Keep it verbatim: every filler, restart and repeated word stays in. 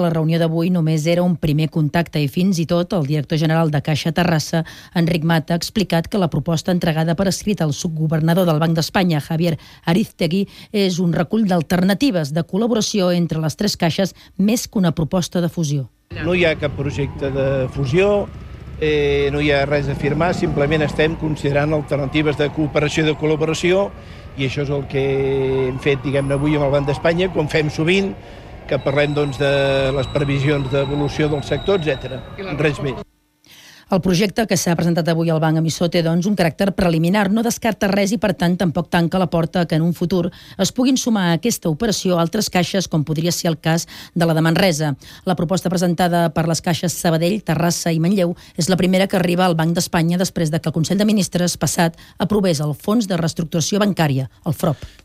La reunió d'avui només era un primer contacte i fins i tot el director general de Caixa Terrassa, Enric Mata, ha explicat que la proposta entregada per escrit al subgovernador del Banc d'Espanya, Javier Ariztegui, és un recull d'alternatives de col·laboració entre les tres caixes més que una proposta de fusió. No hi ha cap projecte de fusió, eh, no hi ha res a firmar, simplement estem considerant alternatives de cooperació i de col·laboració i això és el que hem fet, diguem-ne, avui amb el Banc d'Espanya, com fem sovint, que parlem doncs, de les previsions d'evolució del sector, etcètera. Res més. El projecte que s'ha presentat avui al banc emissor té doncs, un caràcter preliminar, no descarta res i per tant tampoc tanca la porta que en un futur es puguin sumar a aquesta operació altres caixes com podria ser el cas de la de Manresa. La proposta presentada per les caixes Sabadell, Terrassa i Manlleu és la primera que arriba al Banc d'Espanya després de que el Consell de Ministres passat aprovés el Fons de Reestructuració Bancària, el F R O B.